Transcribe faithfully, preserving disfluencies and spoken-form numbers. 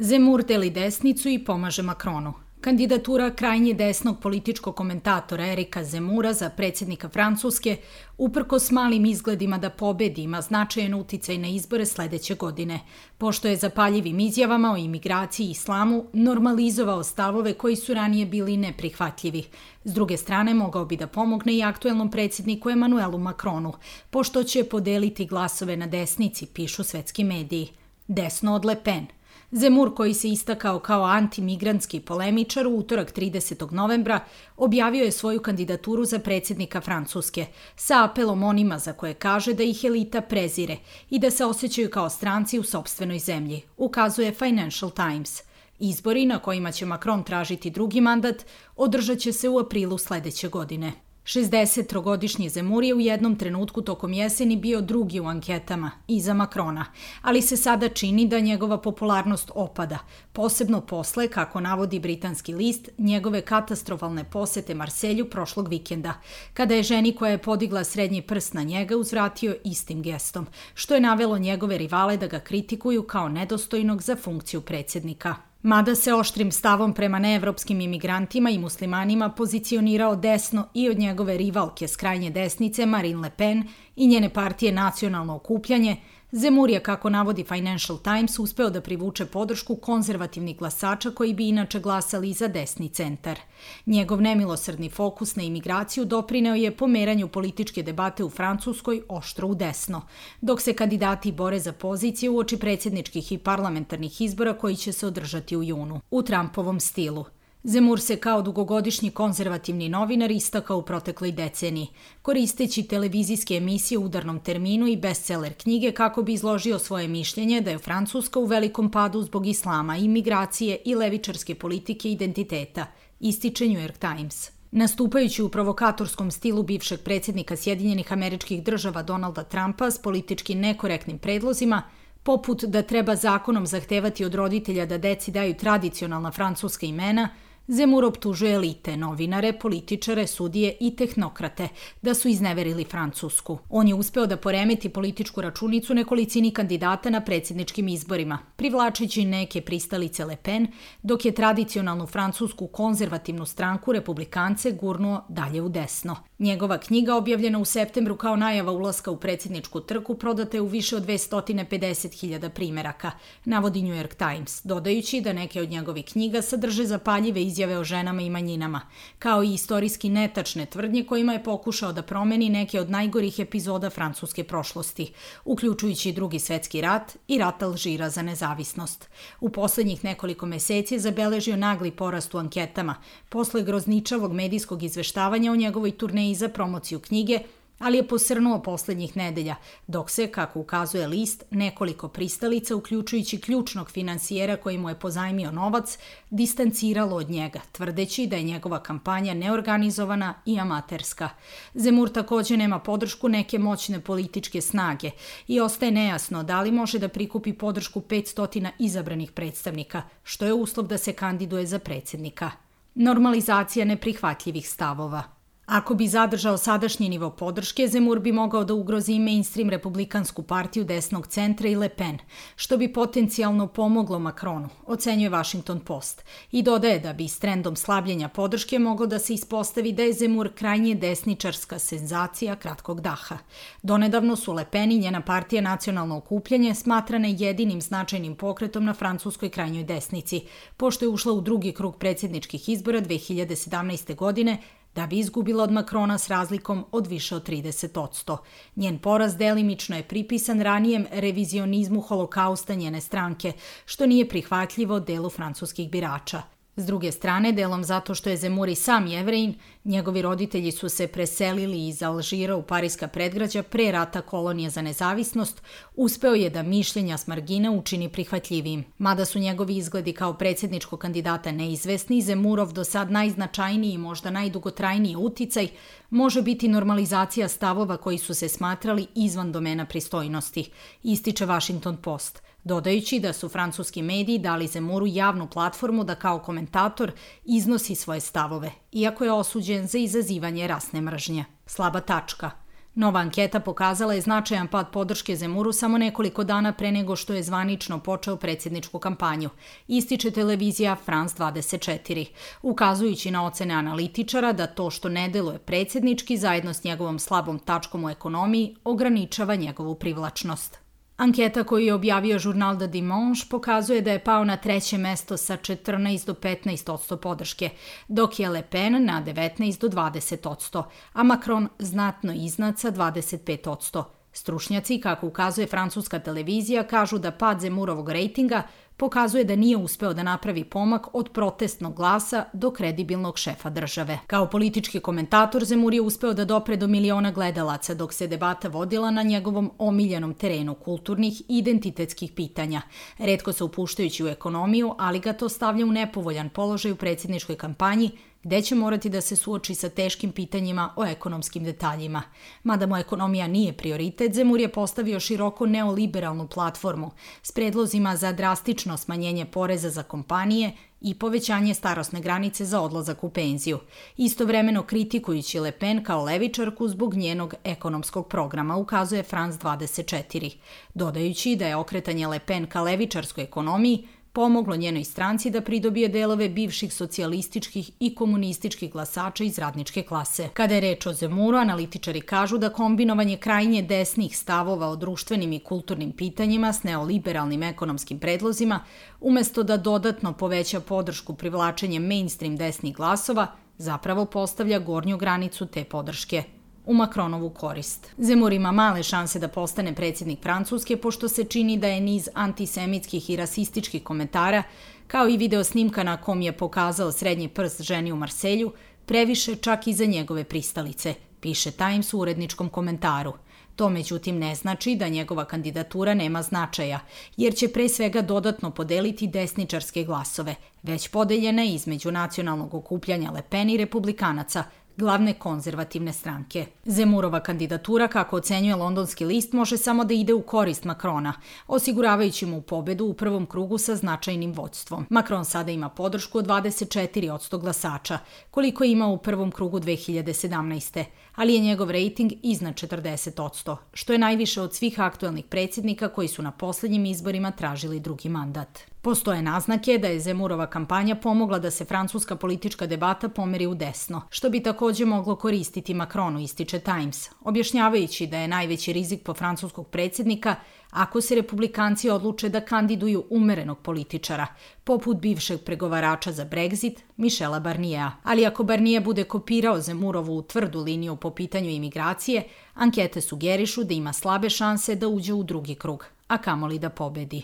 Zemur deli desnicu i pomaže Makronu. Kandidatura krajnje desnog političkog komentatora Erika Zemura za predsjednika Francuske, uprkos malim izgledima da pobedi, ima značajan uticaj na izbore sledeće godine, pošto je zapaljivim izjavama o imigraciji i islamu normalizovao stavove koji su ranije bili neprihvatljivi. S druge strane, mogao bi da pomogne i aktuelnom predsjedniku Emmanuelu Macronu, pošto će podeliti glasove na desnici, pišu svetski mediji. Desno od Le Pen. Zemur, koji se istakao kao antimigrantski polemičar, u utorak tridesetog novembra objavio je svoju kandidaturu za predsjednika Francuske sa apelom onima za koje kaže da ih elita prezire i da se osjećaju kao stranci u sopstvenoj zemlji, ukazuje Financial Times. Izbori na kojima će Macron tražiti drugi mandat održat će se u aprilu sledeće godine. šezdesettrogodišnji Zemur je u jednom trenutku tokom jeseni bio drugi u anketama, iza Macrona, ali se sada čini da njegova popularnost opada, posebno posle, kako navodi britanski list, njegove katastrofalne posete Marselju prošlog vikenda, kada je ženi koja je podigla srednji prst na njega uzvratio istim gestom, što je navelo njegove rivale da ga kritikuju kao nedostojnog za funkciju predsjednika. Mada se oštrim stavom prema neevropskim imigrantima i muslimanima pozicionirao desno i od njegove rivalke s krajnje desnice Marine Le Pen i njene partije Nacionalno okupljanje, Zemur je, kako navodi Financial Times, uspeo da privuče podršku konzervativnih glasača koji bi inače glasali za desni centar. Njegov nemilosrdni fokus na imigraciju doprineo je pomeranju političke debate u Francuskoj oštro u desno, dok se kandidati bore za pozicije uoči predsjedničkih i parlamentarnih izbora koji će se održati u junu, u Trumpovom stilu. Zemur se kao dugogodišnji konzervativni novinar istakao u protekloj deceniji, koristeći televizijske emisije u udarnom terminu i bestseller knjige kako bi izložio svoje mišljenje da je Francuska u velikom padu zbog islama, imigracije i levičarske politike identiteta, ističe New York Times. Nastupajući u provokatorskom stilu bivšeg predsjednika Sjedinjenih Američkih Država Donalda Trumpa s politički nekorektnim predlozima, poput da treba zakonom zahtevati od roditelja da deci daju tradicionalna francuska imena, Zemur optužuje elite, novinare, političare, sudije i tehnokrate da su izneverili Francusku. On je uspeo da poremeti političku računicu nekolicini kandidata na predsjedničkim izborima, privlačeći neke pristalice Le Pen, dok je tradicionalnu francusku konzervativnu stranku republikance gurnuo dalje u desno. Njegova knjiga, objavljena u septembru kao najava ulaska u predsjedničku trku, prodata je u više od dvesta pedeset hiljada primeraka, navodi New York Times, dodajući da neke od njegovih knjiga sadrže zapaljive izjave o ženama i manjinama, kao i istorijski netačne tvrdnje kojima je pokušao da promeni neke od najgorih epizoda francuske prošlosti, uključujući Drugi svetski rat i rat Alžira za nezavisnost. U poslednjih nekoliko meseci je zabeležio nagli porast u anketama, posle grozničavog medijskog izveštavanja o njegovoj turneji za promociju knjige, ali je posrnuo poslednjih nedelja, dok se, kako ukazuje list, nekoliko pristalica, uključujući ključnog finansijera koji mu je pozajmio novac, distanciralo od njega, tvrdeći da je njegova kampanja neorganizovana i amaterska. Zemur takođe nema podršku neke moćne političke snage i ostaje nejasno da li može da prikupi podršku petsto izabranih predstavnika, što je uslov da se kandiduje za predsjednika. Normalizacija neprihvatljivih stavova. Ako bi zadržao sadašnji nivo podrške, Zemur bi mogao da ugrozi mainstream republikansku partiju desnog centra i Le Pen, što bi potencijalno pomoglo Macronu, ocenjuje Washington Post, i dodaje da bi s trendom slabljenja podrške moglo da se ispostavi da je Zemur krajnje desničarska senzacija kratkog daha. Donedavno su Le Pen i njena partija Nacionalno okupljanje smatrane jedinim značajnim pokretom na francuskoj krajnjoj desnici, pošto je ušla u drugi krug predsjedničkih izbora dve hiljade sedamnaeste. godine, da bi izgubila od Macrona s razlikom od više od trideset posto. Njen poraz delimično je pripisan ranijem revizionizmu holokausta njene stranke, što nije prihvatljivo delu francuskih birača. S druge strane, delom zato što je Zemur i sam Jevrejin, njegovi roditelji su se preselili iz Alžira u parijska predgrađa pre rata kolonije za nezavisnost, uspeo je da mišljenja s margine učini prihvatljivijim. Mada su njegovi izgledi kao predsjedničkog kandidata neizvesni, Zemurov do sad najznačajniji i možda najdugotrajniji uticaj može biti normalizacija stavova koji su se smatrali izvan domena pristojnosti, ističe Washington Post, dodajući da su francuski mediji dali Zemuru javnu platformu da kao komentator iznosi svoje stavove, iako je osuđen za izazivanje rasne mržnje. Slaba tačka. Nova anketa pokazala je značajan pad podrške Zemuru samo nekoliko dana pre nego što je zvanično počeo predsjedničku kampanju, ističe televizija France dvadeset četiri, ukazujući na ocene analitičara da to što ne deluje predsjednički zajedno s njegovom slabom tačkom u ekonomiji ograničava njegovu privlačnost. Anketa koju je objavio žurnal Le Dimanche pokazuje da je pao na treće mesto sa četrnaest do petnaest odsto podrške, dok je Le Pen na devetnaest do dvadeset odsto, a Macron znatno iznad sa dvadeset pet odsto. Stručnjaci, kako ukazuje francuska televizija, kažu da pad Zemurovog rejtinga pokazuje da nije uspeo da napravi pomak od protestnog glasa do kredibilnog šefa države. Kao politički komentator, Zemur je uspeo da dopre do miliona gledalaca, dok se debata vodila na njegovom omiljenom terenu kulturnih i identitetskih pitanja, retko se upuštajući u ekonomiju, ali ga to stavlja u nepovoljan položaj u predsjedničkoj kampanji, gde će morati da se suoči sa teškim pitanjima o ekonomskim detaljima. Mada mu ekonomija nije prioritet, Zemur je postavio široko neoliberalnu platformu s predlozima za drastično smanjenje poreza za kompanije i povećanje starosne granice za odlazak u penziju, istovremeno kritikujući Le Pen kao levičarku zbog njenog ekonomskog programa, ukazuje France dvadeset četiri, dodajući da je okretanje Le Pen ka levičarskoj ekonomiji pomoglo njenoj stranci da pridobije delove bivših socijalističkih i komunističkih glasača iz radničke klase. Kada je reč o Zemuru, analitičari kažu da kombinovanje krajnje desnih stavova o društvenim i kulturnim pitanjima s neoliberalnim ekonomskim predlozima, umesto da dodatno poveća podršku privlačenjem mainstream desnih glasova, zapravo postavlja gornju granicu te podrške u Macronovu korist. Zemur ima male šanse da postane predsjednik Francuske, pošto se čini da je niz antisemitskih i rasističkih komentara, kao i video snimka na kom je pokazao srednji prst ženi u Marselju, previše čak i za njegove pristalice, piše Times u uredničkom komentaru. To međutim ne znači da njegova kandidatura nema značaja, jer će pre svega dodatno podeliti desničarske glasove, već podeljene između nacionalnog okupljanja Le Pen i republikanaca, glavne konzervativne stranke. Zemurova kandidatura, kako ocenjuje londonski list, može samo da ide u korist Macrona, osiguravajući mu pobedu u prvom krugu sa značajnim vođstvom. Macron sada ima podršku od dvadeset četiri odsto glasača, koliko je imao u prvom krugu dve hiljade sedamnaeste. ali je njegov rejting iznad četrdeset odsto, što je najviše od svih aktuelnih predsjednika koji su na posljednjim izborima tražili drugi mandat. Postoje naznake da je Zemurova kampanja pomogla da se francuska politička debata pomeri u desno, što bi također moglo koristiti Macronu, ističe Times, objašnjavajući da je najveći rizik po francuskog predsjednika ako se republikanci odluče da kandiduju umerenog političara, poput bivšeg pregovarača za Brexit, Michela Barniera. Ali ako Barnier bude kopirao Zemurovu tvrdu liniju po pitanju imigracije, ankete sugerišu da ima slabe šanse da uđe u drugi krug, a kamoli da pobedi.